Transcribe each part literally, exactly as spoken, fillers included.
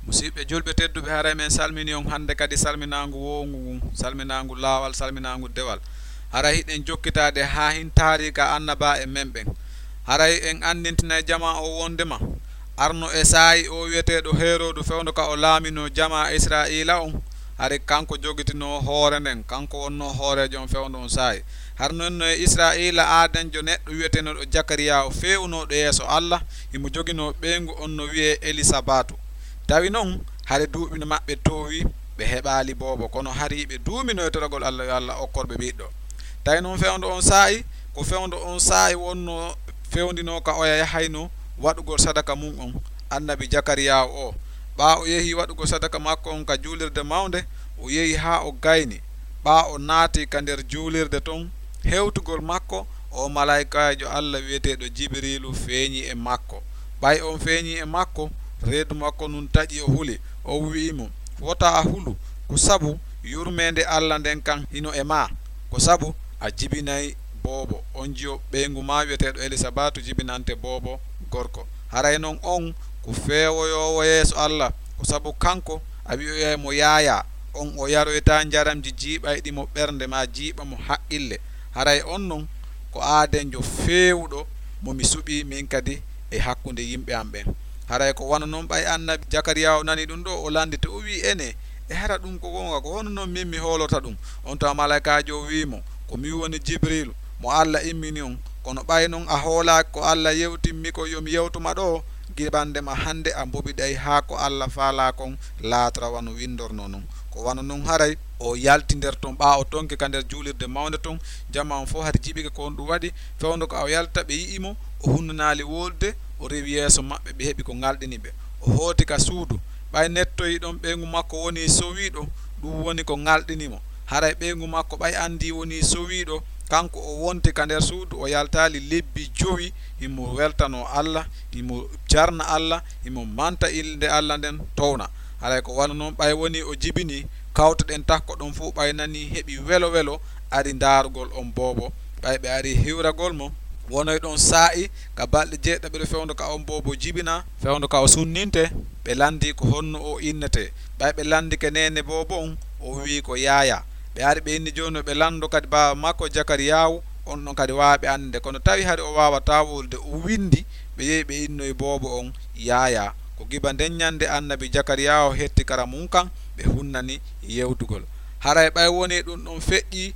Musiɓɓe julɓe tedduɓe, haray men salmini on hannde kadi salminaangu wowngu ngun, salminaangu laawal, salminaangu dewal. Haray hiɗen jokkitaade haa hin taariika annabaa en men ɓen. Haray en anndintinay jamaa o wonndema arno e saa'i o wi'eteeɗo Heeroodu fewndo ka o laaminoo jamaa Israa'iila on, hari kanko jogitinoo hoore nden, kanko wonnoo hooreejo on fewndo on saa'i. Hari non no e Israa'iila aadanjo neɗɗo wi'eteenooɗo Jakariyaahu feewunooɗo yeeso Alla, himo joginoo ɓeyngu on no wi'ee Elisabatu. Tawi non hari duuɓi no maɓɓe toowi, ɓe heɓaali boobo, kono hari ɓe duumino e toragol Alla yo Alla okkor ɓe ɓiɗɗo. Tawi non fewndo on saa'i, ko fewndo on saa'i wonnoo fewndinoo ka oya yahayno waɗugol sadaka mun on, annabi Jakariyaahu o. Ɓaa o yehi waɗugol sadaka makko on ka juulirde mawnde, o yehi haa o gayni. Ɓaa o naati ka nder juulirde ton, hewtugol makko, o malaa'ikaajo Alla wi'eteeɗo Jibiriilu feeñi e makko. Ɓay on feeñi e makko, reedu makko ndun taƴi, o huli. O wi'i mo, "Wota a hulu, ko sabu yurmeende Alla nden kan hino e maa, ko sabu a jibinay boobo, on jiyo ɓeyngu maa wi'eteeɗo Elisabatu jibinante boobo gorko. Haray non on ko feewoyoowo yeeso Alla, ko sabu kanko a wi'oyay mo Yaayaa, on o yaroytaa njaramji jiiɓayɗi mo ɓernde maa jiiɓa mo haqqille. Haray on non ko aadenjo feewuɗo mo mi suɓii min kadi e hakkunde yimɓe am ɓen." Haray ko wano non ɓay annabi Jakariyaahu nani ɗum ɗo, o landiti, o wi'i, "Enee, e hara ɗum ko goonga? Ko hono non min mi hoolorta ɗum?" On tuma malaa'ikaajo o wi'i mo, "Ko min woni Jibriilu, mo Alla immini on. Kono ɓay non a hoolaaki ko Alla yewtimmi ko yo mi yewtu ma ɗo, gibande ma hannde a mboɓiɗay haa ko Alla faalaa kon laatora wano windornoo non." Ko wano non haray o yalti nder ton, ɓaa o tonki ka nder juulirde mawnde ton, jamaa on fow hari jiɓike ko honɗum waɗi. Fewndo ka o yalta, ɓe yi'i mo, o hunnanaali wolude, o rewi yeeso maɓɓe, ɓe heɓi ko ŋalɗini ɓe. O hooti ka suudu, ɓay nettoyi ɗon ɓeyngu makko woni sowiiɗo, ɗum woni ko ŋalɗini mo. Haray ɓeyngu makko ɓay anndi woni sowiiɗo, kanko o wonti ka nder suudu, o yaltaali lebbi jowi, himo weltanoo Alla, himo jarna Alla, himo manta innde Alla nden towna. Haray ko wano non ɓay woni o jibini, kawte ɗen takko ɗon fow ɓay nani heɓi welo welo, ari ndaarugol on boobo. Ɓay ɓe ari hiwragol mo, wonoy ɗon saa'i ka balɗe jeeɗiɗaɓire fewndo ka on boobo jibina, fewndo ka o sunninte, ɓe lanndi ko honno o innetee. Ɓay ɓe lanndike neene boobo on, o wi'i ko Yaayaa. Ɓe ari ɓe inni jooni no ɓe lanndo kadi baaba makko Jakariyaahu, on ɗon kadi waawa ɓe annde. Kono tawi hari o waawataa wolude, o winndi, ɓe yehi ɓe innoyi boobo on Yaayaa. Ko giba nden ɲannde annabi Jakariyaahu hetti kara mun kan, ɓe hunnani yewtugol. Haray ɓay wonii ɗun ɗon feƴƴii,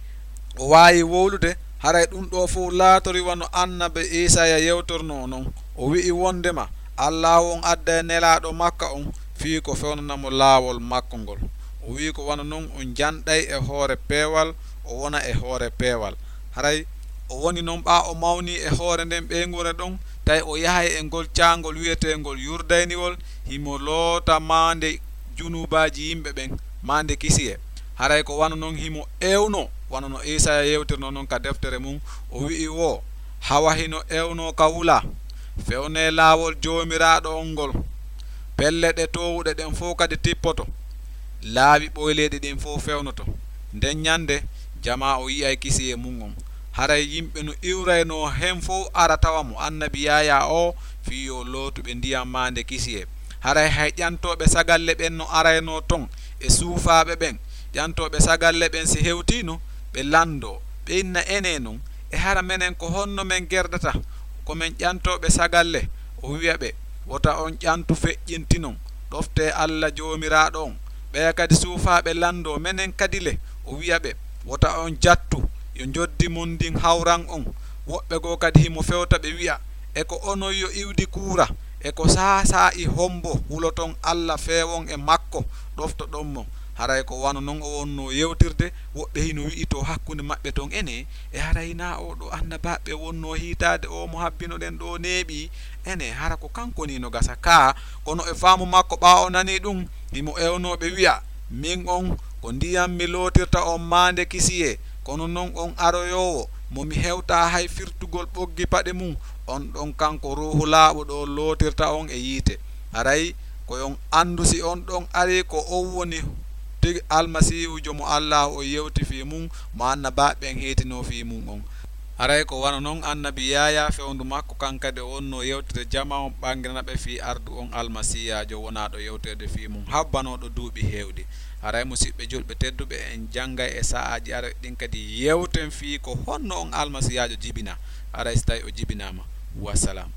o waawi wowlude, haray ɗun ɗoo fow laatorii wano annabi Iisaaya yewtornoo non. O wi'i wonndema Allaahu on adday nelaaɗo makka on fii ko fewnana mo laawol makko ngol. O wi'i ko wano non o janɗay e hoore peewal, o wona e hoore peewal. Haray o woni non ɓaa o mawnii e hoore nden ɓeynguure ɗon, tawi o yahay e ngol caangol wi'eteengol Yurdayniwol, himo loota maande junuubaaji yimɓe ɓen, maande kisiyee. Haray ko wano non himo ewnoo, wano no Iisaaya yewtirnoo non ka deftere mun, o wi'i woo, hawa hino ewnoo ka wula, "Fewnee laawol Joomiraaɗo on ngol, pelle ɗe toowuɗe ɗen fow kadi tippoto, laawi ɓoyleeɗi ɗin fow fewnoto." Nden ɲannde, jamaa o yi'ay kisiyee mun on. Haray yimɓe no iwraynoo hen fow ara tawa mo, annabi Yaayaa oo, fii yo lootu ɓe ndiyam maande kisiyee. Haray hay ƴantooɓe sagalle ɓen no araynoo ton e suufaaɓe ɓen. Ƴantooɓe sagalle ɓen si hewtiino, ɓe lanndoo, ɓe inna, "Enee non, e hara menen ko honno men gerdata? Ko men ƴantooɓe sagalle?" O wi'a ɓe, "Wota on ƴantu feƴƴintinon, ɗoftee Alla Joomiraaɗo on." Ɓeya kadi suufaaɓe lanndoo, "Menen kadi le?" O wi'a ɓe, "Wota on jattu, yo njoddi mon ndin hawran on." Woɓɓe goo kadi himo fewta ɓe wi'a, "E ko onon yo iwdi kuura? E ko saasaa'i hombo huloton Alla feewon e makko, ɗoftoɗon mo?" Haray ko wano non o wonnoo yewtirde, woɓɓe hino wi'itoo hakkunde maɓɓe ton, "Enee, e haray hinaa oo ɗoo annabaaɓe wonnoo hiitaade oo mo habbinoɗen ɗoo neeɓii? Enee, hara ko kanko nii no gasa kaa?" Kono e faamu makko, ɓaa o nanii ɗun, himo ewnoo ɓe wi'a, "Min on, ko ndiyam mi lootirta on maande kisiyee, kono non on aroyoowo mo mi hewtaa hay firtugol ɓoggi paɗe mun, on ɗon kanko Ruuhu Laaɓuɗo on lootirta on e yiite." Haray ko yo on anndu si on ɗon arii ko on woni tigi Almasiihujo mo Allaahu on yewti fii mun, mo annabaaɓe ɓen heetinoo fii mun on. Haray ko wano non annabi Yaayaa fewndu makko kan kadi o wonnoo yewtira jamaa on ɓanginana ɓe fii ardu on Almasiiyaajo wonaaɗo yewteede fii mun habbanooɗo duuɓi heewɗi. Haray musiɓɓe julɓe tedduɓe, en janngay e sa'aaji aroy ɗin kadi yewten fii ko honno on Almasiiyaajo jibinaa, haray si tawii o jibinaama. Wassalam.